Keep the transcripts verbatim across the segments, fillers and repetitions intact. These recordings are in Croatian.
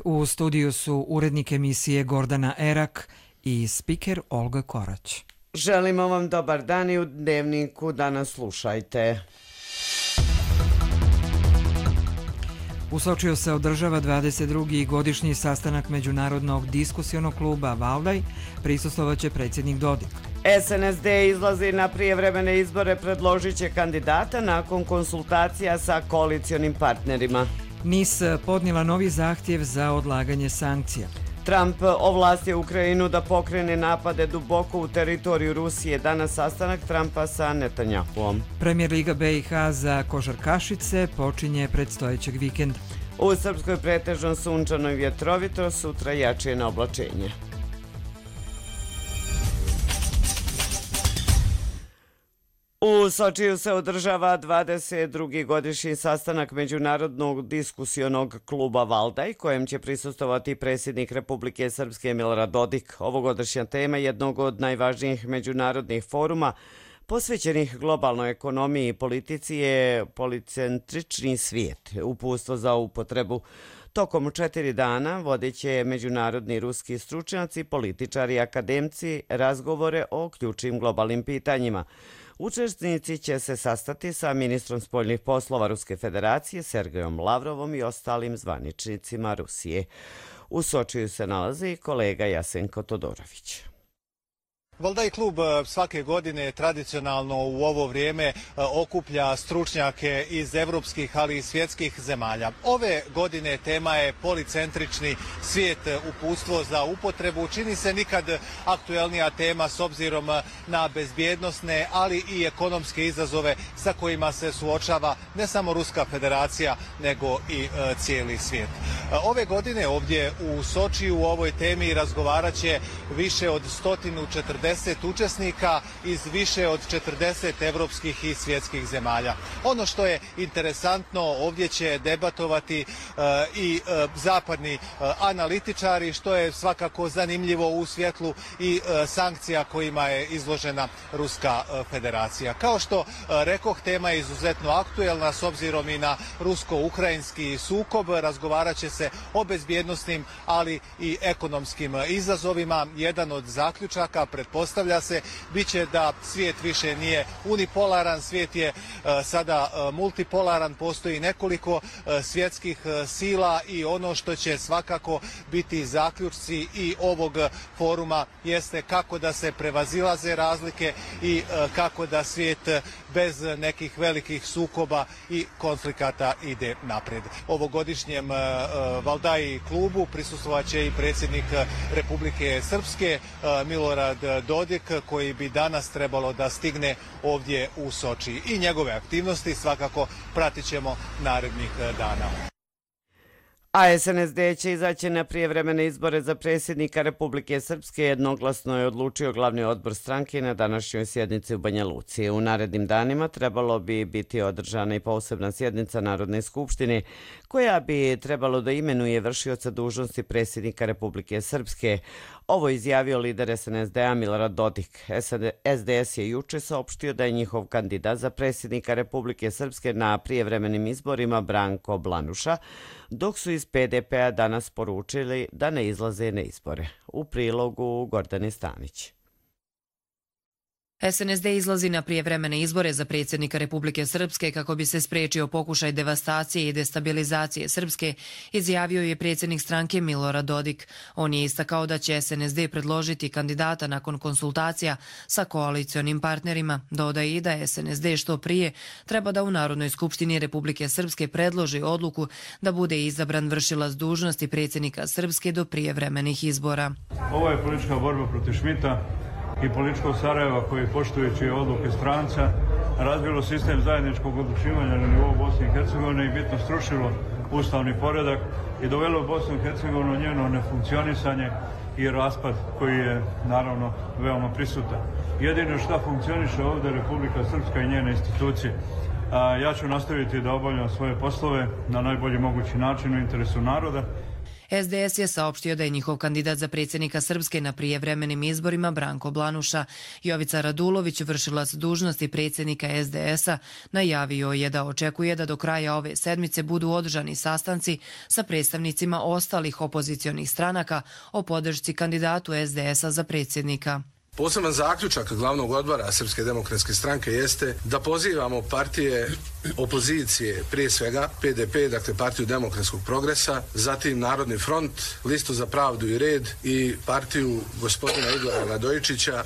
U studiju su urednik emisije Gordana Erak i spiker Olga Korać. Želimo vam dobar dan i u Dnevniku danas slušajte. U Sočiju se održava dvadeset drugi godišnji sastanak Međunarodnog diskusionog kluba Valdaj, prisustvovaće predsjednik Dodik. S N S D izlazi na prijevremene izbore, predložit će kandidata nakon konsultacija sa koalicionim partnerima. N I S podnijela novi zahtjev za odlaganje sankcija. Trump ovlastio Ukrajinu da pokrene napade duboko u teritoriju Rusije. Danas sastanak Trumpa sa Netanjahuom. Premier Liga B i H za košarkašice počinje predstojećeg vikenda. U Srpskoj pretežno sunčano i vjetrovito, sutra jače na oblačenje. U Sočiju se održava dvadeset drugi godišnji sastanak Međunarodnog diskusionog kluba Valdaj, kojem će prisustvovati predsjednik Republike Srpske Milorad Dodik. Ovogodišnja tema jednog od najvažnijih međunarodnih foruma posvećenih globalnoj ekonomiji i politici je policentrični svijet, uputstvo za upotrebu. Tokom četiri dana vodit će međunarodni ruski stručnjaci, političari i akademci razgovore o ključnim globalnim pitanjima. Učesnici će se sastati sa ministrom spoljnih poslova Ruske federacije Sergejom Lavrovom i ostalim zvaničnicima Rusije. U Sočiju se nalazi kolega Jasenko Todorović. Valdaj klub svake godine tradicionalno u ovo vrijeme okuplja stručnjake iz evropskih, ali i svjetskih zemalja. Ove godine tema je policentrični svijet, uputstvo za upotrebu. Čini se nikad aktuelnija tema s obzirom na bezbjednosne, ali i ekonomske izazove sa kojima se suočava ne samo Ruska federacija, nego i cijeli svijet. Ove godine ovdje u Sočiju u ovoj temi razgovarat će više od sto četrdeset učesnika iz više od četrdeset evropskih i svjetskih zemalja. Ono što je interesantno, ovdje će debatovati uh, i uh, zapadni uh, analitičari, što je svakako zanimljivo u svjetlu i uh, sankcija kojima je izložena Ruska uh, federacija. Kao što uh, rekoh, tema je izuzetno aktuelna s obzirom i na rusko-ukrajinski sukob. Razgovarat će se o bezbjednosnim, ali i ekonomskim izazovima. Jedan od zaključaka, pretpostavlja se, bit će da svijet više nije unipolaran, svijet je uh, sada uh, multipolaran, postoji nekoliko uh, svjetskih uh, sila i ono što će svakako biti zaključci i ovog foruma jeste kako da se prevazilaze razlike i uh, kako da svijet bez nekih velikih sukoba i konflikata ide naprijed. Ovogodišnjem uh, Valdaj klubu prisustvovat će i predsjednik Republike Srpske uh, Milorad Dodik, koji bi danas trebalo da stigne ovdje u Soči. I njegove aktivnosti svakako pratit ćemo narednih dana. A S N S D će izaći na prijevremene izbore za predsjednika Republike Srpske, jednoglasno je odlučio glavni odbor stranke na današnjoj sjednici u Banja Luci. U narednim danima trebalo bi biti održana i posebna sjednica Narodne skupštine, koja bi trebalo da imenuje vršioca dužnosti predsjednika Republike Srpske. Ovo je izjavio lider S N S D-a Milorad Dodik. S D S je juče saopštio da je njihov kandidat za predsjednika Republike Srpske na prijevremenim izborima Branko Blanuša, dok su iz P D P-a danas poručili da ne izlaze na izbore. U prilogu Gordane Stanić. S N S D izlazi na prijevremene izbore za predsjednika Republike Srpske kako bi se spriječio pokušaj devastacije i destabilizacije Srpske, izjavio je predsjednik stranke Milorad Dodik. On je istakao da će S N S D predložiti kandidata nakon konsultacija sa koalicionim partnerima. Dodaje i da S N S D što prije treba da u Narodnoj skupštini Republike Srpske predloži odluku da bude izabran vršilac dužnosti predsjednika Srpske do prijevremenih izbora. Ovo je politička borba protiv Šmita i političkog Sarajeva koji, poštujući odluke stranca, razbilo sistem zajedničkog odlučivanja na nivou Bosne i Hercegovine i bitno srušilo ustavni poredak i dovelo Bosnu i Hercegovinu njeno nefunkcionisanje i raspad koji je naravno veoma prisutan. Jedino što funkcioniše ovdje Republika Srpska i njene institucije. Ja ću nastaviti da obavljam svoje poslove na najbolji mogući način u interesu naroda. S D S je saopštio da je njihov kandidat za predsjednika Srpske na prijevremenim izborima Branko Blanuša. Jovica Radulović, vršilac dužnosti predsjednika S D S-a, najavio je da očekuje da do kraja ove sedmice budu održani sastanci sa predstavnicima ostalih opozicionih stranaka o podršci kandidatu S D S-a za predsjednika. Poseban zaključak glavnog odbora Srpske demokratske stranke jeste da pozivamo partije opozicije, prije svega P D P, dakle Partiju demokratskog progresa, zatim Narodni front, Listu za pravdu i red i partiju gospodina Igora Radojičića,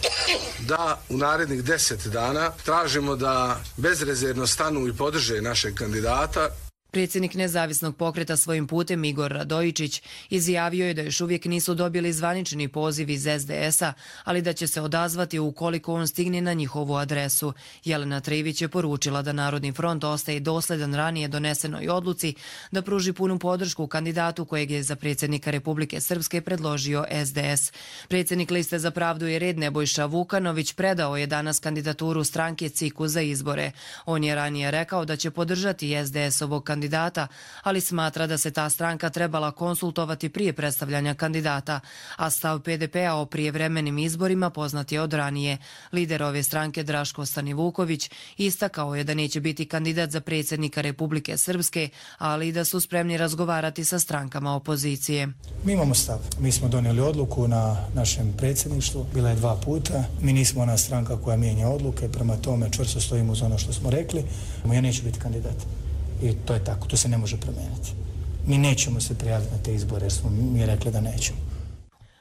da u narednih deset dana tražimo da bezrezervno stanu i podrže našeg kandidata. Predsjednik nezavisnog pokreta Svojim putem Igor Radojičić izjavio je da još uvijek nisu dobili zvanični poziv iz S D S-a, ali da će se odazvati ukoliko on stigne na njihovu adresu. Jelena Trivić je poručila da Narodni front ostaje dosledan ranije donesenoj odluci da pruži punu podršku kandidatu kojeg je za predsjednika Republike Srpske predložio S D S. Predsjednik Liste za pravdu i red Nebojša Vukanović predao je danas kandidaturu stranke C I K-u za izbore. On je ranije rekao da će podržati S D S-ovog kandidata kandidata, ali smatra da se ta stranka trebala konsultovati prije predstavljanja kandidata, a stav P D P-a o prijevremenim izborima poznat je od ranije. Lider ove stranke Draško Stanivuković istakao je da neće biti kandidat za predsjednika Republike Srpske, ali i da su spremni razgovarati sa strankama opozicije. Mi imamo stav. Mi smo donijeli odluku na našem predsjedništvu, bila je dva puta. Mi nismo ona stranka koja mijenja odluke, prema tome čvrsto stojimo uz ono što smo rekli. Ja neću biti kandidat. I to je tako, to se ne može promijeniti. Mi nećemo se prijaviti na te izbore jer smo mi rekli da nećemo.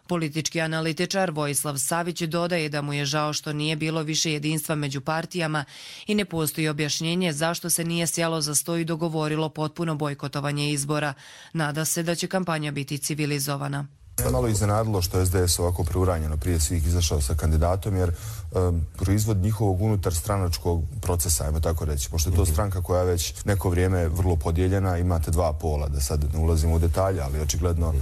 Politički analitičar Vojislav Savić dodaje da mu je žao što nije bilo više jedinstva među partijama i ne postoji objašnjenje zašto se nije sjelo za sto i dogovorilo potpuno bojkotovanje izbora. Nada se da će kampanja biti civilizovana. Malo iznenadilo što je S D S ovako preuranjeno prije svih izašao sa kandidatom, jer um, proizvod njihovog unutar stranačkog procesa, ajmo tako reći, pošto je to stranka koja je već neko vrijeme vrlo podijeljena, imate dva pola, da sad ne ulazimo u detalje, ali očigledno uh,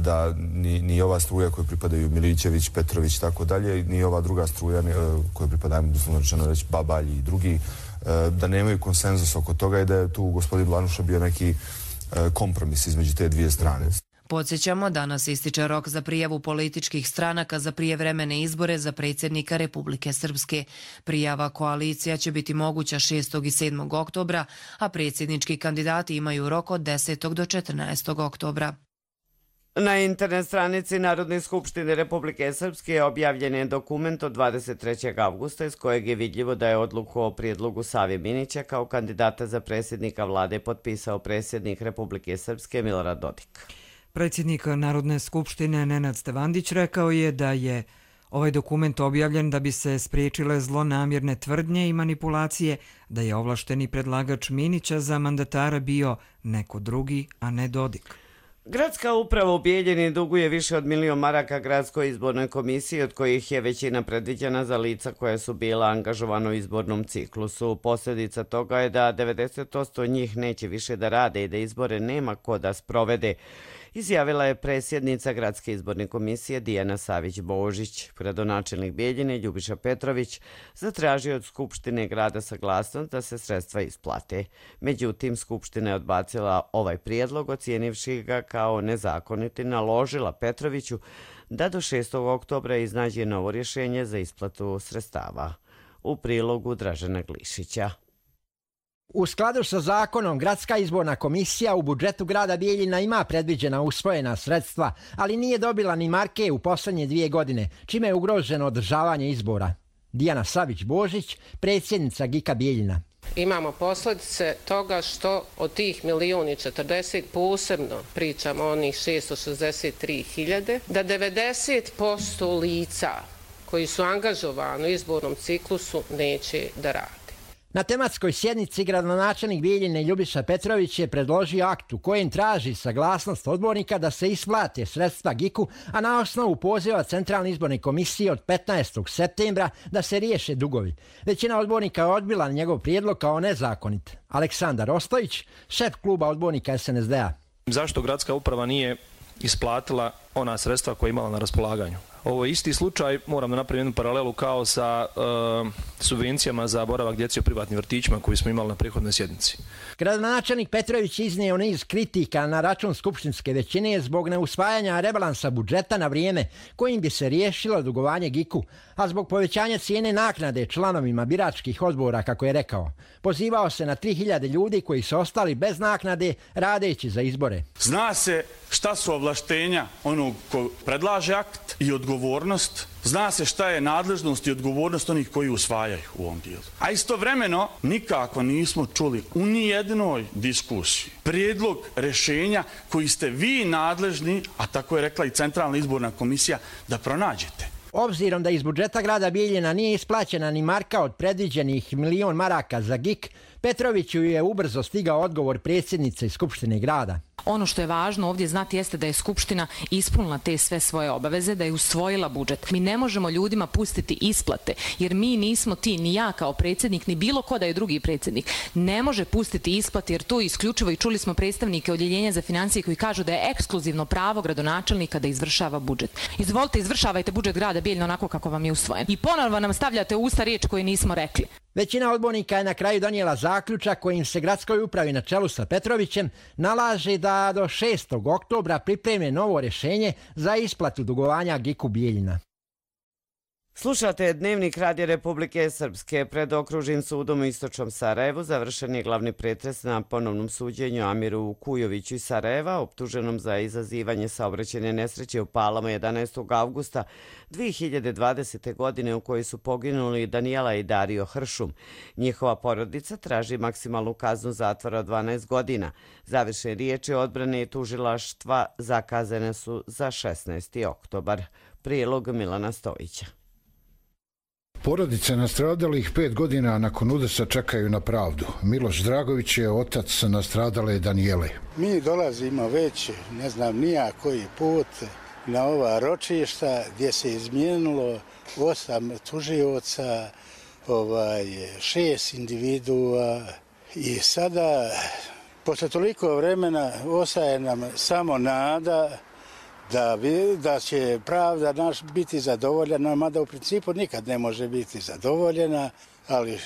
da ni, ni ova struja koju pripadaju Milićević, Petrović i tako dalje, ni ova druga struja uh, koju pripadaju, doslovno rečeno reći, Babalj i drugi, uh, da nemaju konsenzus oko toga i da je tu gospodin Blanuša bio neki uh, kompromis između te dvije strane. Podsjećamo, danas ističe rok za prijavu političkih stranaka za prijevremene izbore za predsjednika Republike Srpske. Prijava koalicija će biti moguća šestog i sedmog oktobra, a predsjednički kandidati imaju rok od desetog do četrnaestog oktobra. Na internet stranici Narodne skupštine Republike Srpske objavljen je dokument od dvadeset trećeg avgusta iz kojeg je vidljivo da je odluku o prijedlogu Save Minića kao kandidata za predsjednika vlade potpisao predsjednik Republike Srpske Milorad Dodik. Predsjednik Narodne skupštine Nenad Stevandić rekao je da je ovaj dokument objavljen da bi se spriječile zlonamjerne tvrdnje i manipulacije, da je ovlašteni predlagač Minića za mandatara bio neko drugi, a ne Dodik. Gradska uprava u Bijeljini duguje više od milion maraka gradskoj izbornoj komisiji, od kojih je većina predviđena za lica koja su bila angažovana u izbornom ciklusu. Posljedica toga je da devedeset posto njih neće više da rade i da izbore nema ko da sprovede, izjavila je predsjednica Gradske izborne komisije Dijana Savić-Božić. Gradonačelnik Bijeljine Ljubiša Petrović zatražio od Skupštine grada saglasnost da se sredstva isplate. Međutim, Skupština je odbacila ovaj prijedlog, ocijenivši ga kao nezakonit i naložila Petroviću da do šestog oktobra iznađe novo rješenje za isplatu sredstava. U prilogu Dražena Glišića. U skladu sa zakonom, Gradska izborna komisija u budžetu grada Bijeljina ima predviđena usvojena sredstva, ali nije dobila ni marke u posljednje dvije godine, čime je ugroženo održavanje izbora. Dijana Savić-Božić, predsjednica G I K-a Bijeljina. Imamo posljedice toga što od tih milijun i četrdeset, posebno pričamo o onih šesto šezdeset tri hiljade, da devedeset posto lica koji su angažovani u izbornom ciklusu neće da rade. Na tematskoj sjednici gradonačelnik Bijeljine Ljubiša Petrović je predložio akt u kojem traži saglasnost odbornika da se isplate sredstva G I K-u, a na osnovu poziva Centralne izborne komisije od petnaestog septembra da se riješe dugovi. Većina odbornika je odbila njegov prijedlog kao nezakonit. Aleksandar Ostojić, šef kluba odbornika S N S D-a. Zašto gradska uprava nije isplatila ona sredstva koja je imala na raspolaganju. Ovo je isti slučaj, moram da napravim jednu paralelu kao sa uh, subvencijama za boravak djece u privatnim vrtićima koji smo imali na prethodnoj sjednici. Gradonačelnik Petrović iznio niz kritika na račun skupštinske većine zbog neusvajanja rebalansa budžeta na vrijeme kojim bi se riješilo dugovanje G I K-u, a zbog povećanja cijene naknade članovima biračkih odbora, kako je rekao. Pozivao se na tri hiljade ljudi koji su ostali bez naknade radeći za izbore. Zna se šta su ovlaštenja onog ko predlaže akt i odgovornost. Zna se šta je nadležnost i odgovornost onih koji usvajaju u ovom dijelu. A istovremeno nikako nismo čuli u nijednoj diskusiji prijedlog rješenja koji ste vi nadležni, a tako je rekla i Centralna izborna komisija, da pronađete. Obzirom da iz budžeta grada Bijeljina nije isplaćena ni marka od predviđenih milion maraka za G I K, Petroviću je ubrzo stigao odgovor predsjednice Skupštine grada. Ono što je važno ovdje znati jeste da je Skupština ispunila te sve svoje obaveze, da je usvojila budžet. Mi ne možemo ljudima pustiti isplate, jer mi nismo ti, ni ja kao predsjednik, ni bilo ko da je drugi predsjednik. Ne može pustiti isplate, jer to isključivo, i čuli smo predstavnike Odjeljenja za financije koji kažu da je ekskluzivno pravo gradonačelnika da izvršava budžet. Izvolite, izvršavajte budžet grada Bijeljina onako kako vam je usvojen. I ponovno nam stavljate u usta riječ koje nismo rekli. Većina odbornika je na kraju donijela zaključak kojim se gradskoj upravi na čelu sa Petrovićem nalaže da do šestog oktobra pripreme novo rješenje za isplatu dugovanja G I K-u Bijeljina. Slušate Dnevnik Radija Republike Srpske. Pred okružnim sudom u istočnom Sarajevu završen je glavni pretres na ponovnom suđenju Amiru Kujoviću iz Sarajeva, optuženom za izazivanje saobraćajne nesreće u Palama jedanaestog avgusta dvije hiljade dvadesete. godine u kojoj su poginuli Danijela i Dario Hršum. Njihova porodica traži maksimalnu kaznu zatvora od dvanaest godina. Završene riječi odbrane i tužilaštva zakazane su za šesnaesti oktobar. Prilog Milana Stojića. Porodice nastradalih pet godina nakon udesa čekaju na pravdu. Miloš Dragović je otac nastradale Danijele. Mi dolazimo već, ne znam nija koji put, na ova ročišta gdje se izmijenilo osam tužioca, ovaj, šest individua i sada, posle toliko vremena, ostaje nam samo nada Da, da će pravda naš biti zadovoljena, mada u principu nikad ne može biti zadovoljena, ali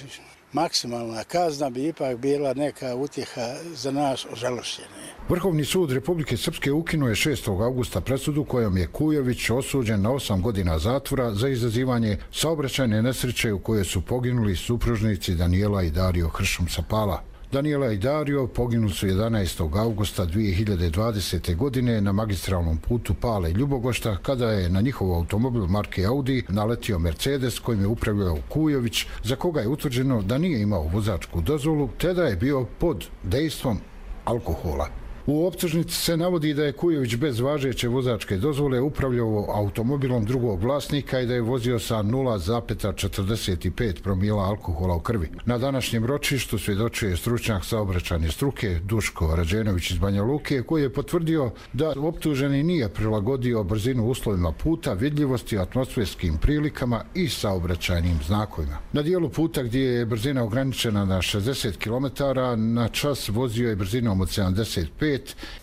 maksimalna kazna bi ipak bila neka utjeha za nas ožalošćene. Vrhovni sud Republike Srpske ukinuo je šestog avgusta presudu kojom je Kujović osuđen na osam godina zatvora za izazivanje saobraćajne nesreće u kojoj su poginuli supružnici Danijela i Dario Hršum sa Pala. Danijela i Dario poginuli su jedanaestog avgusta dvije hiljade dvadesete. godine na magistralnom putu Pale Ljubogošta kada je na njihov automobil marke Audi naletio Mercedes kojim je upravljao Kujović, za koga je utvrđeno da nije imao vozačku dozvolu te da je bio pod dejstvom alkohola. U optužnici se navodi da je Kujović bez važeće vozačke dozvole upravljao automobilom drugog vlasnika i da je vozio sa nula zarez četrdeset pet promila alkohola u krvi. Na današnjem ročištu svjedočio je stručnjak saobraćajne struke Duško Rađenović iz Banja Luke, koji je potvrdio da optuženi nije prilagodio brzinu uslovima puta, vidljivosti, atmosferskim prilikama i saobraćajnim znakovima. Na dijelu puta gdje je brzina ograničena na šezdeset kilometara na čas vozio je brzinom od sedamdeset pet.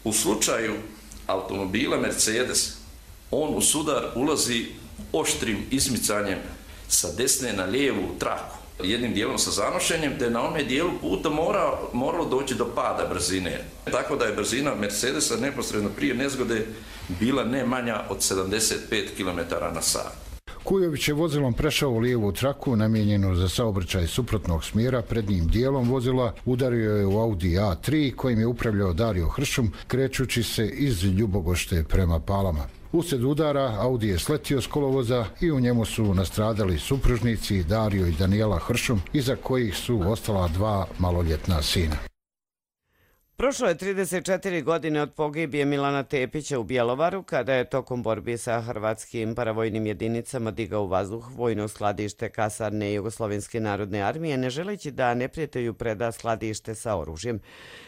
U slučaju automobila Mercedes, on u sudar ulazi oštrim izmicanjem sa desne na lijevu traku, jednim dijelom sa zanošenjem, te na onome dijelu puta mora, moralo doći do pada brzine. Tako da je brzina Mercedesa neposredno prije nezgode bila ne manja od sedamdeset pet kilometara na sat. Kujović je vozilom prešao u lijevu traku namijenjenu za saobraćaj suprotnog smjera. Prednjim dijelom vozila udario je u Audi A tri kojim je upravljao Dario Hršum krećući se iz Ljubogošte prema Palama. Uslijed udara Audi je sletio s kolovoza i u njemu su nastradali supružnici Dario i Danijela Hršum, iza kojih su ostala dva maloljetna sina. Prošlo je trideset četiri godine od pogibije Milana Tepića u Bjelovaru, kada je tokom borbi sa hrvatskim paravojnim jedinicama digao u vazduh vojno skladište kasarne Jugoslovenske narodne armije, ne želeći da neprijatelju preda skladište sa oružjem.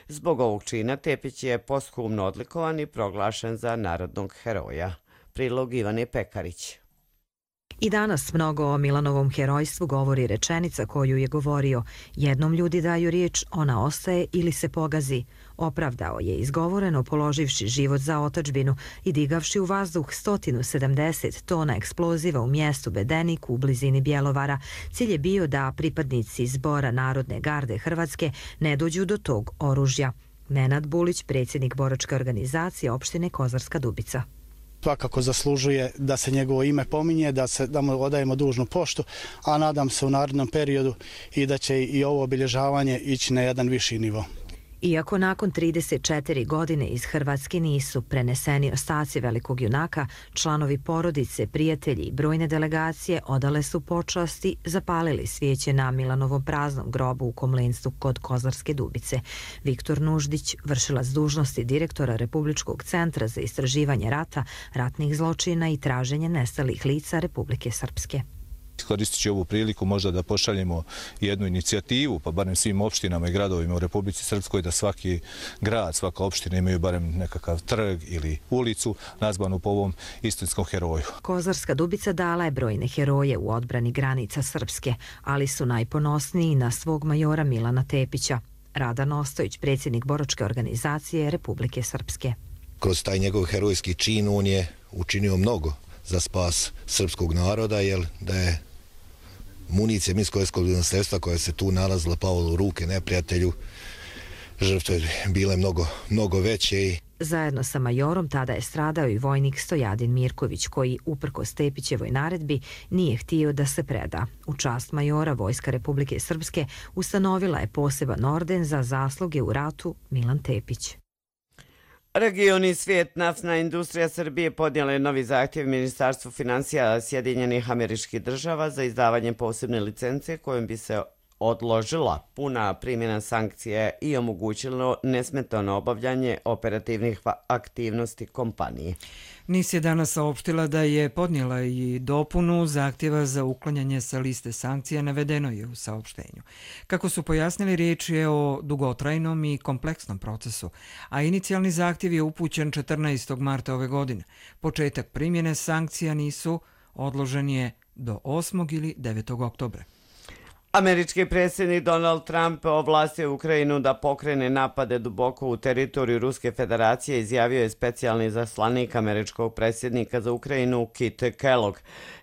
Zbog ovog čina Tepić je posthumno odlikovan i proglašen za narodnog heroja. Prilog Ivane Pekarić. I danas mnogo o Milanovom herojstvu govori rečenica koju je govorio: jednom ljudi daju riječ, ona ostaje ili se pogazi. opravdao je izgovoreno položivši život za otadžbinu i digavši u vazduh sto sedamdeset tona eksploziva u mjestu Bedenik u blizini Bjelovara. Cilj je bio da pripadnici Zbora Narodne garde Hrvatske ne dođu do tog oružja. Nenad Bulić, predsjednik boračke organizacije opštine Kozarska Dubica. Svakako zaslužuje da se njegovo ime pominje, da, se, da mu odajemo dužnu poštu, a nadam se u narednom periodu i da će i ovo obilježavanje ići na jedan viši nivo. Iako nakon trideset četiri godine iz Hrvatske nisu preneseni ostaci velikog junaka, članovi porodice, prijatelji i brojne delegacije odale su počasti, zapalili svijeće na Milanovom praznom grobu u Komlenstvu kod Kozarske Dubice. Viktor Nuždić, vršilac dužnosti direktora Republičkog centra za istraživanje rata, ratnih zločina i traženje nestalih lica Republike Srpske. Koristit ću ovu priliku možda da pošaljemo jednu inicijativu, pa barem svim opštinama i gradovima u Republici Srpskoj, da svaki grad, svaka opština imaju barem nekakav trg ili ulicu nazvanu po ovom istinskom heroju. Kozarska Dubica dala je brojne heroje u odbrani granica Srpske, ali su najponosniji na svog majora Milana Tepića. Radan Ostojić, predsjednik boračke organizacije Republike Srpske. Kroz taj njegov herojski čin on je učinio mnogo za spas srpskog naroda, jer da je municija minsko-eksplozivnog sredstva koja se tu nalazila pala u ruke neprijatelju, žrtve bile mnogo, mnogo veće. Zajedno sa majorom tada je stradao i vojnik Stojadin Mirković, koji, uprkos Tepićevoj naredbi, nije htio da se preda. U čast majora Vojska Republike Srpske ustanovila je poseban orden za zasluge u ratu Milan Tepić. Region i svijet, naftna industrija Srbije podnijela je novi zahtjev Ministarstvu finansija Sjedinjenih Američkih Država za izdavanje posebne licence kojom bi se odložila puna primjena sankcije i omogućilo nesmetano obavljanje operativnih aktivnosti kompanije. N I S je danas saopštila da je podnijela i dopunu zahtjeva za uklanjanje sa liste sankcija, navedeno je u saopštenju. Kako su pojasnili, riječ je o dugotrajnom i kompleksnom procesu, a inicijalni zahtjev je upućen četrnaestog marta ove godine. Početak primjene sankcija nisu odložen je do osmog ili devetog oktobra. Američki predsjednik Donald Trump ovlastio Ukrajinu da pokrene napade duboko u teritoriju Ruske federacije, izjavio je specijalni zaslanik američkog predsjednika za Ukrajinu Kit Kellogg.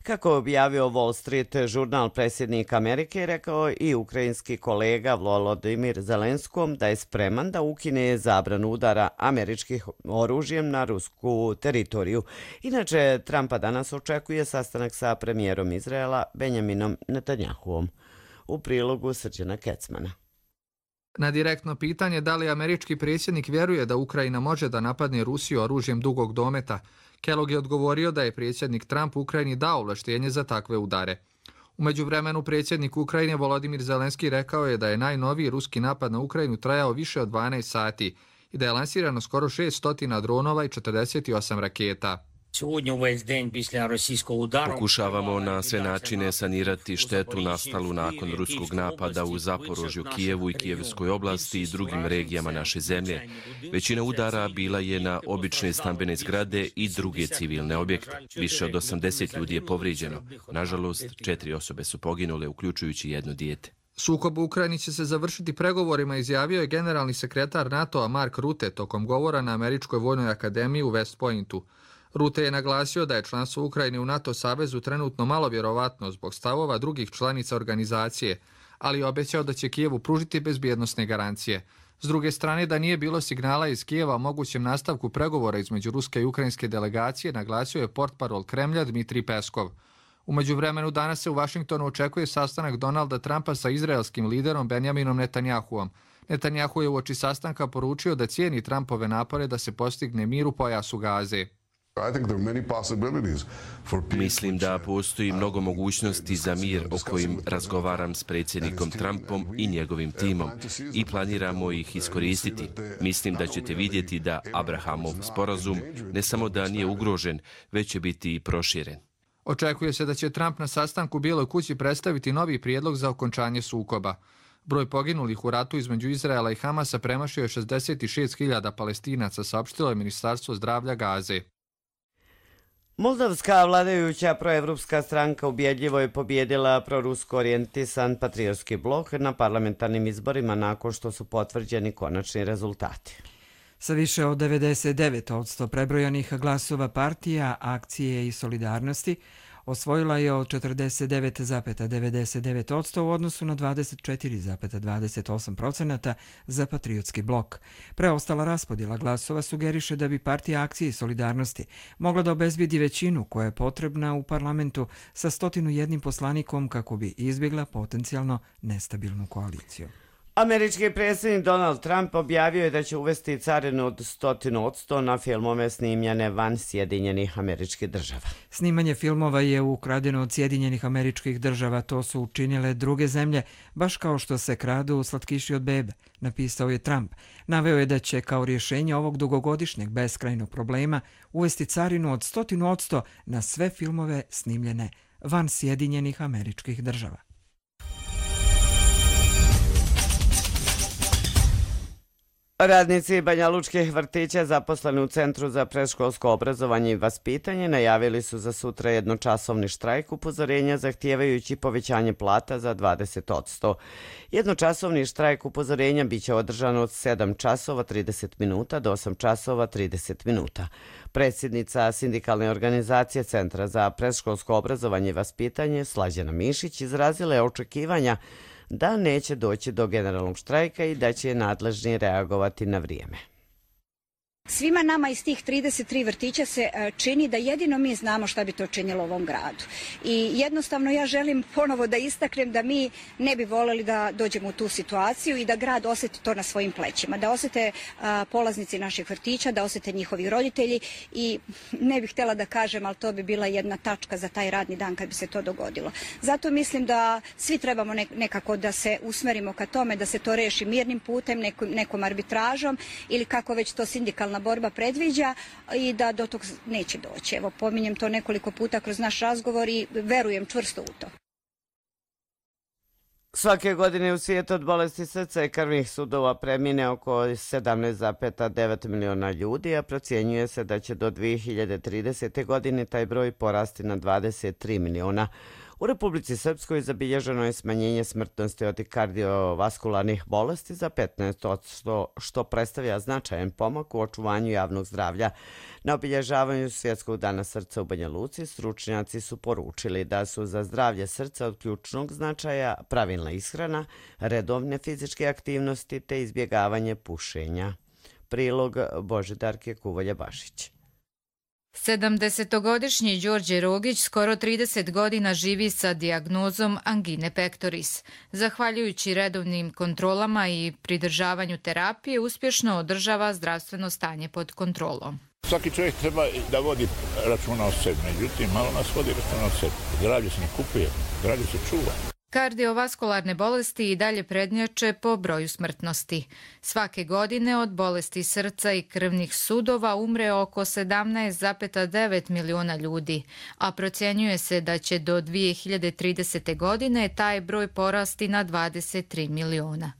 Kako je objavio Wall Street žurnal, predsjednik Amerike rekao i ukrajinski kolega Volodymyr Zelenskom da je spreman da ukine zabranu udara američkih oružjem na rusku teritoriju. Inače, Trumpa danas očekuje sastanak sa premijerom Izraela Benjaminom Netanjahuom. U prilogu Srđana Kecmana. Na direktno pitanje da li američki predsjednik vjeruje da Ukrajina može da napadne Rusiju oružjem dugog dometa, Kellogg je odgovorio da je predsjednik Trump Ukrajini dao ovlaštenje za takve udare. U međuvremenu predsjednik Ukrajine Volodymyr Zelenski rekao je da je najnoviji ruski napad na Ukrajinu trajao više od dvanaest sati i da je lansirano skoro šesto dronova i četrdeset osam raketa. Pokušavamo na sve načine sanirati štetu nastalu nakon ruskog napada u Zaporožju, Kijevu i Kijevskoj oblasti i drugim regijama naše zemlje. Većina udara bila je na obične stambene zgrade i druge civilne objekte. Više od osamdeset ljudi je povrijeđeno. Nažalost, četiri osobe su poginule, uključujući jedno dijete. Sukob u Ukrajini će se završiti pregovorima, izjavio je generalni sekretar NATO-a Mark Rutte tokom govora na Američkoj vojnoj akademiji u West Pointu. Rutte je naglasio da je članstvo Ukrajine u NATO savezu trenutno malo vjerovatno zbog stavova drugih članica organizacije, ali je obećao da će Kijevu pružiti bezbjednosne garancije. S druge strane, da nije bilo signala iz Kijeva o mogućem nastavku pregovora između ruske i ukrajinske delegacije, naglasio je portparol Kremlja Dmitrij Peskov. U međuvremenu danas se u Vašingtonu očekuje sastanak Donalda Trumpa sa izraelskim liderom Benjaminom Netanjahuom. Netanjahu je uoči sastanka poručio da cijeni Trumpove napore da se postigne mir u pojasu Gaze. Mislim da postoji mnogo mogućnosti za mir o kojim razgovaram s predsjednikom Trumpom i njegovim timom i planiramo ih iskoristiti. Mislim da ćete vidjeti da Abrahamov sporazum ne samo da nije ugrožen, već će biti i proširen. Očekuje se da će Trump na sastanku u Bijeloj kući predstaviti novi prijedlog za okončanje sukoba. Broj poginulih u ratu između Izraela i Hamasa premašio je šezdeset šest hiljada Palestinaca, saopštilo je Ministarstvo zdravlja Gaze. Moldavska vladajuća proevropska stranka ubjedljivo je pobjedila prorusko orijentisan patriotski blok na parlamentarnim izborima nakon što su potvrđeni konačni rezultati. Sa više od devedeset devet posto prebrojanih glasova partija, akcije i solidarnosti osvojila je od četrdeset devet zarez devedeset devet posto u odnosu na dvadeset četiri zarez dvadeset osam posto za Patriotski blok. Preostala raspodjela glasova sugeriše da bi partija akcije i solidarnosti mogla da obezbedi većinu koja je potrebna u parlamentu sa stotinu jednim poslanikom kako bi izbjegla potencijalno nestabilnu koaliciju. Američki predsjednik Donald Trump objavio je da će uvesti carinu od stotinu odsto na filmove snimljene van Sjedinjenih Američkih Država. Snimanje filmova je ukradeno od Sjedinjenih Američkih Država, to su učinile druge zemlje, baš kao što se kradu slatkiši od bebe, napisao je Trump. Naveo je da će kao rješenje ovog dugogodišnjeg beskrajnog problema uvesti carinu od stotinu odsto na sve filmove snimljene van Sjedinjenih Američkih Država. Radnici Banja Lučkih vrtića zaposleni u Centru za predškolsko obrazovanje i vaspitanje najavili su za sutra jednočasovni štrajk upozorenja zahtijevajući povećanje plata za dvadeset odsto. Jednočasovni štrajk upozorenja biće održan od sedam časova trideset minuta do osam časova trideset minuta. Predsjednica sindikalne organizacije Centra za predškolsko obrazovanje i vaspitanje Slađana Mišić izrazila je očekivanja da neće doći do generalnog štrajka i da će nadležni reagovati na vrijeme. Svima nama iz tih trideset tri vrtića se čini da jedino mi znamo šta bi to činilo ovom gradu. I jednostavno ja želim ponovo da istaknem da mi ne bi voljeli da dođemo u tu situaciju i da grad osjeti to na svojim plećima, da osjete polaznici naših vrtića, da osjete njihovi roditelji i ne bih htjela da kažem, ali to bi bila jedna tačka za taj radni dan kad bi se to dogodilo. Zato mislim da svi trebamo nekako da se usmerimo ka tome, da se to reši mirnim putem, nekom, nekom arbitražom ili kako već to sindikalna borba predviđa i da do tog neće doći. Evo, pominjem to nekoliko puta kroz naš razgovor i verujem čvrsto u to. Svake godine u svijetu od bolesti srca i krvnih sudova premine oko sedamnaest zarez devet miliona ljudi, a procjenjuje se da će do dvije hiljade tridesete. godine taj broj porasti na dvadeset tri miliona. U Republici Srpskoj zabilježeno je smanjenje smrtnosti od kardiovaskularnih bolesti za petnaest odsto, što predstavlja značajan pomak u očuvanju javnog zdravlja. Na obilježavanju Svjetskog dana srca u Banja Luci stručnjaci su poručili da su za zdravlje srca od ključnog značaja pravilna ishrana, redovne fizičke aktivnosti te izbjegavanje pušenja. Prilog Božidarke Kuvolja-Bašić. sedamdesetogodišnji Đorđe Rogić skoro trideset godina živi sa dijagnozom angine pectoris. Zahvaljujući redovnim kontrolama i pridržavanju terapije, uspješno održava zdravstveno stanje pod kontrolom. Svaki čovjek treba da vodi računa o sebi, međutim, malo nas vodi računa o sebi. Zdravlje se ne kupuje, zdravlje se čuva. Kardiovaskularne bolesti i dalje prednjače po broju smrtnosti. Svake godine od bolesti srca i krvnih sudova umre oko sedamnaest zarez devet miliona ljudi, a procjenjuje se da će do dvije hiljade tridesete. godine taj broj porasti na dvadeset tri miliona.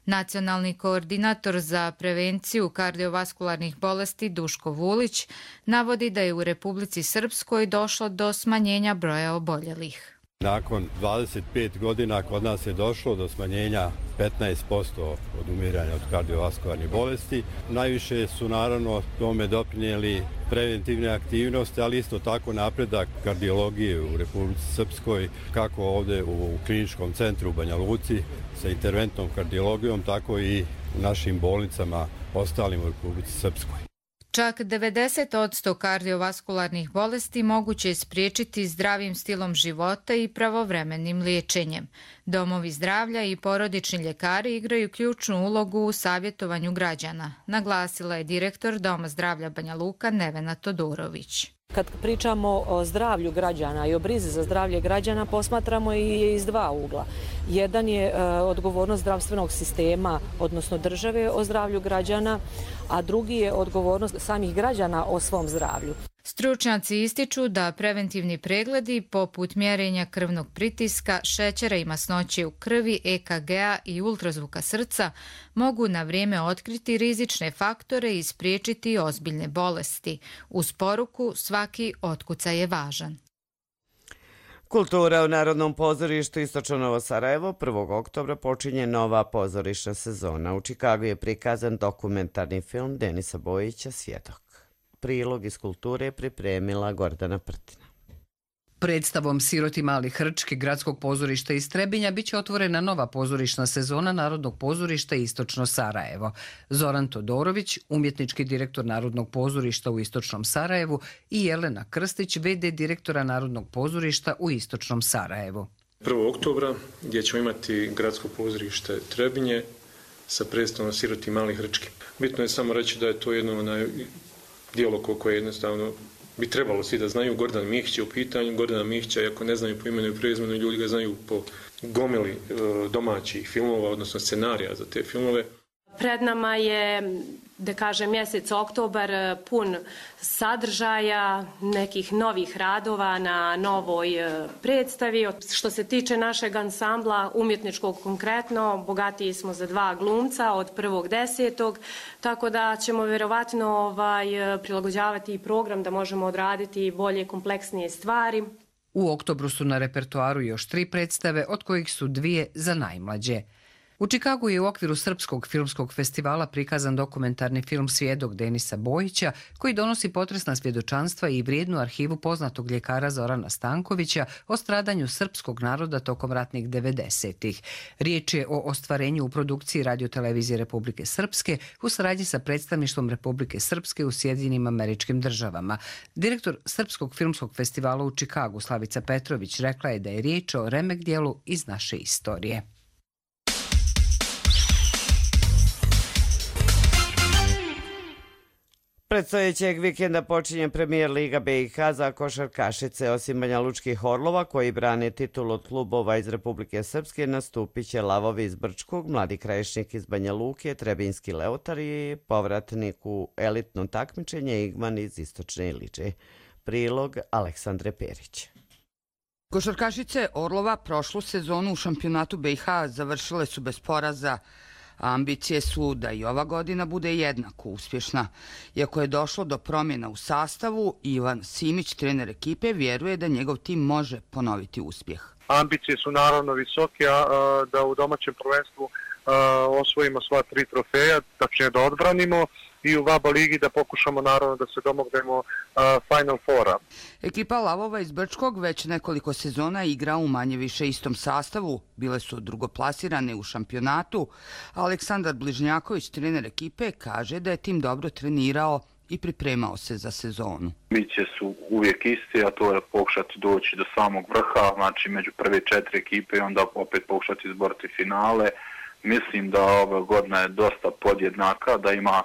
Nacionalni koordinator za prevenciju kardiovaskularnih bolesti Duško Vulić navodi da je u Republici Srpskoj došlo do smanjenja broja oboljelih. Nakon dvadeset pet godina kod nas je došlo do smanjenja petnaest posto od umiranja od kardiovaskularnih bolesti. Najviše su naravno tome doprinijeli preventivne aktivnosti, ali isto tako napredak kardiologije u Republici Srpskoj, kako ovdje u kliničkom centru u Banja Luci sa interventnom kardiologijom, tako i u našim bolnicama ostalim u Republici Srpskoj. Čak devedeset odsto kardiovaskularnih bolesti moguće je spriječiti zdravim stilom života i pravovremenim liječenjem. Domovi zdravlja i porodični ljekari igraju ključnu ulogu u savjetovanju građana, naglasila je direktor Doma zdravlja Banja Luka Nevena Todorović. Kad pričamo o zdravlju građana i o brizi za zdravlje građana, posmatramo i iz dva ugla. Jedan je e, odgovornost zdravstvenog sistema, odnosno države o zdravlju građana, a drugi je odgovornost samih građana o svom zdravlju. Stručnjaci ističu da preventivni pregledi poput mjerenja krvnog pritiska, šećera i masnoće u krvi, E K G-a i ultrazvuka srca mogu na vrijeme otkriti rizične faktore i spriječiti ozbiljne bolesti. Uz poruku svaki otkucaj je važan. Kultura u Narodnom pozorištu Istočno Novo Sarajevo prvog oktobra počinje nova pozorišna sezona. U Čikagu je prikazan dokumentarni film Denisa Bojića Svjedok. Prilog iz kulture je pripremila Gordana Prtina. Predstavom Siroti mali hrčki Gradskog pozorišta iz Trebinja biće otvorena nova pozorišna sezona Narodnog pozorišta Istočno Sarajevo. Zoran Todorović, umjetnički direktor Narodnog pozorišta u Istočnom Sarajevu, i Jelena Krstić, ve de direktora Narodnog pozorišta u Istočnom Sarajevu. prvog oktobra gdje ćemo imati Gradsko pozorište Trebinje sa predstavom Siroti mali hrčki. Bitno je samo reći da je to jedno onaj djelo koje jednostavno bi trebalo svi da znaju. Gordan Mihić je u pitanju. Gordana Mihića, ako ne znaju po imenu i prezimenu, ljudi ga znaju po gomili domaćih filmova, odnosno scenarija za te filmove. Pred nama je, da kažem, mjesec oktobar pun sadržaja, nekih novih radova na novoj predstavi. Što se tiče našeg ansambla, umjetničkog konkretno, bogatiji smo za dva glumca od prvog desetog, tako da ćemo vjerovatno ovaj, prilagođavati i program da možemo odraditi bolje, kompleksnije stvari. U oktobru su na repertoaru još tri predstave, od kojih su dvije za najmlađe. U Čikagu je u okviru Srpskog filmskog festivala prikazan dokumentarni film Svjedok Denisa Bojića, koji donosi potresna svjedočanstva i vrijednu arhivu poznatog ljekara Zorana Stankovića o stradanju srpskog naroda tokom ratnih devedesetih. Riječ je o ostvarenju u produkciji Radiotelevizije Republike Srpske u saradnji sa predstavništvom Republike Srpske u Sjedinjenim Američkim Državama. Direktor Srpskog filmskog festivala u Čikagu Slavica Petrović rekla je da je riječ o remek dijelu iz naše istorije. Predstojećeg vikenda počinje premijer Liga be i ha za košarkašice. Osim Banja Lučkih Orlova, koji brane titul od klubova iz Republike Srpske, nastupit će Lavovi iz Brčkog, Mladi Krajišnik iz Banja Luke, Trebinski Leotar i povratnik u elitno takmičenje Igman iz Istočne Iliče. Prilog Aleksandre Perić. Košarkašice Orlova prošlu sezonu u šampionatu be i ha završile su bez poraza. Ambicije su da i ova godina bude jednako uspješna. Iako je došlo do promjena u sastavu, Ivan Simić, trener ekipe, vjeruje da njegov tim može ponoviti uspjeh. Ambicije su naravno visoke, a da u domaćem prvenstvu osvojimo sva tri trofeja, tačnije da odbranimo, i u VABA ligi da pokušamo naravno da se domognemo Final Fora. Ekipa Lavova iz Brčkog već nekoliko sezona igra u manje više istom sastavu. Bile su drugoplasirane u šampionatu. Aleksandar Bližnjaković, trener ekipe, kaže da je tim dobro trenirao i pripremao se za sezonu. Ambicije su uvijek iste, a to je pokušati doći do samog vrha, znači među prve četiri ekipe i onda opet pokušati izboriti finale. Mislim da ova godina je dosta podjednaka, da ima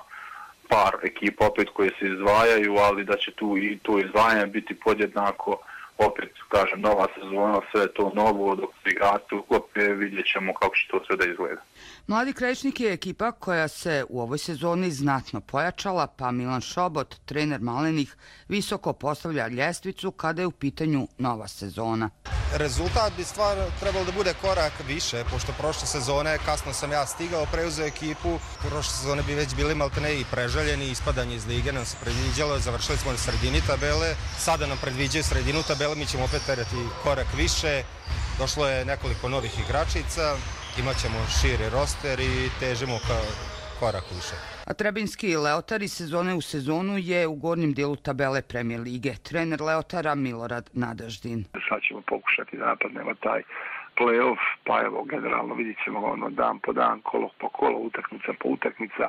par ekipa opet koje se izdvajaju, ali da će tu i to izdvajanje biti podjednako. Opet, kažem, nova sezona, sve to novo, dok se igrati uklope, vidjet ćemo kako će to sve da izgleda. Mladi Krajišnik je ekipa koja se u ovoj sezoni znatno pojačala, pa Milan Šobot, trener Malenih, visoko postavlja ljestvicu kada je u pitanju nova sezona. Rezultat bi stvar trebalo da bude korak više, pošto prošle sezone kasno sam ja stigao, preuzeo ekipu, prošle sezone bi već bili maltene i preželjeni, ispadanje iz lige nam se predviđalo, završili smo na sredini tabele, sada nam predviđaju sredinu tabele, mi ćemo opet terati korak više, došlo je nekoliko novih igračica, imat ćemo širi roster i težimo ka korak više. A Trebinski Leotar iz sezone u sezonu je u gornjem dijelu tabele Premijer lige. Trener Leotara Milorad Nadaždin. Sad ćemo pokušati da napadnemo taj play-off, pa evo, generalno vidit ćemo ono dan po dan, kolo po kolo, utakmica po utakmica.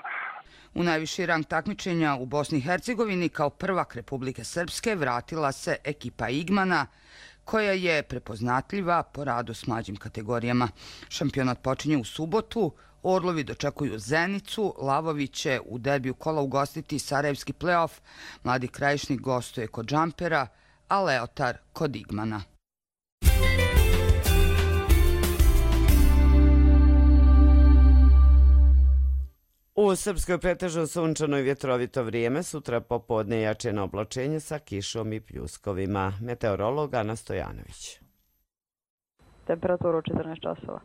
U najviši rang takmičenja u Bosni i Hercegovini kao prvak Republike Srpske vratila se ekipa Igmana, koja je prepoznatljiva po radu s mlađim kategorijama. Šampionat počinje u subotu, Orlovi dočekuju Zenicu, Lavovi će u derbiju kola ugostiti Sarajevski play-off, Mladi Krajišnik gostuje kod Džampera, a Leotar kod Igmana. U Srpskoj pretežno sunčano i vjetrovito vrijeme, sutra popodne jačeno oblačenje sa kišom i pljuskovima. Meteorolog Ana Stojanović. Temperatura u četrnaest časova.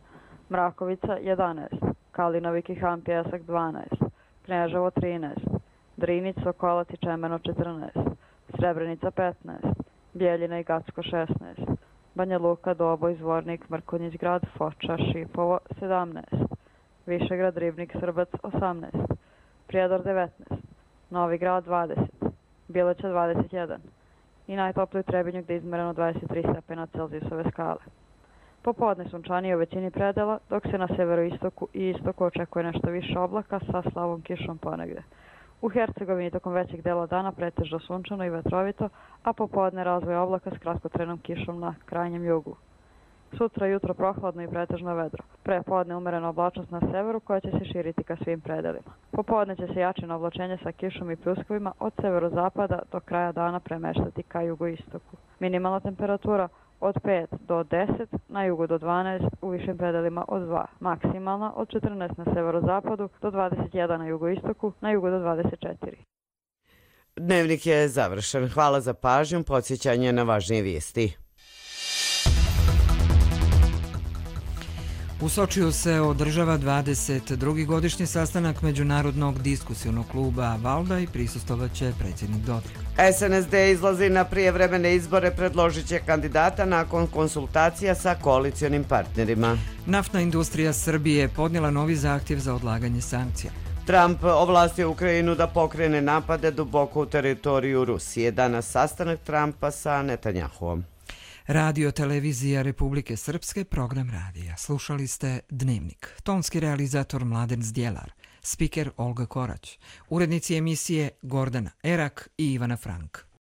Mrakovica jedanaest, Kalinovi Kihan Pjesak dvanaest, Kneževo trinaest, Drinić, Sokolac i Čemeno četrnaest, Srebrenica petnaest, Bijeljina i Gacko šesnaest, Banja Luka, Doboj, Zvornik, Mrkonjić grad, Foča, Šipovo sedamnaest, Višegrad, Ribnik, Srbac osamnaest, Prijedor devetnaest, Novi Grad dvadeset, Bileća dvadeset jedan i najtopliji u Trebinju gdje je izmereno dvadeset tri stepena Celzijusove skale. Popodne sunčanije u većini predela, dok se na severoistoku i istoku očekuje nešto više oblaka sa slabom kišom ponegde. U Hercegovini tokom većeg dela dana pretežno sunčano i vetrovito, a popodne razvoj oblaka s kratkotrenom kišom na krajnjem jugu. Sutra jutro prohladno i pretežno vedro. Prepodne umerena oblačnost na severu koja će se širiti ka svim predelima. Popodne će se jačino oblačenje sa kišom i pljuskovima od severozapada do kraja dana premeštati ka jugoistoku. Minimalna temperatura od pet do deset, na jugu do dvanaest, u višim predelima od dva. Maksimalna od četrnaest na severozapadu do dvadeset jedan na jugoistoku, na jugu do dvadeset četiri. Dnevnik je završen. Hvala za pažnju, podsjećanje na važnije vijesti. U Sočiju se održava dvadeset drugi godišnji sastanak Međunarodnog diskusionog kluba Valdaj, prisustovaće predsjednik Dodik. S N S D izlazi na prijevremene izbore, predložit će kandidata nakon konsultacija sa koalicionim partnerima. Naftna industrija Srbije podnijela novi zahtjev za odlaganje sankcija. Trump ovlastio Ukrajinu da pokrene napade duboko u teritoriju Rusije. Danas sastanak Trumpa sa Netanjahuom. Radio televizija Republike Srpske, program radija. Slušali ste Dnevnik. Tonski realizator Mladen Zdjelar, spiker Olga Korać, urednici emisije Gordana Erak i Ivana Frank.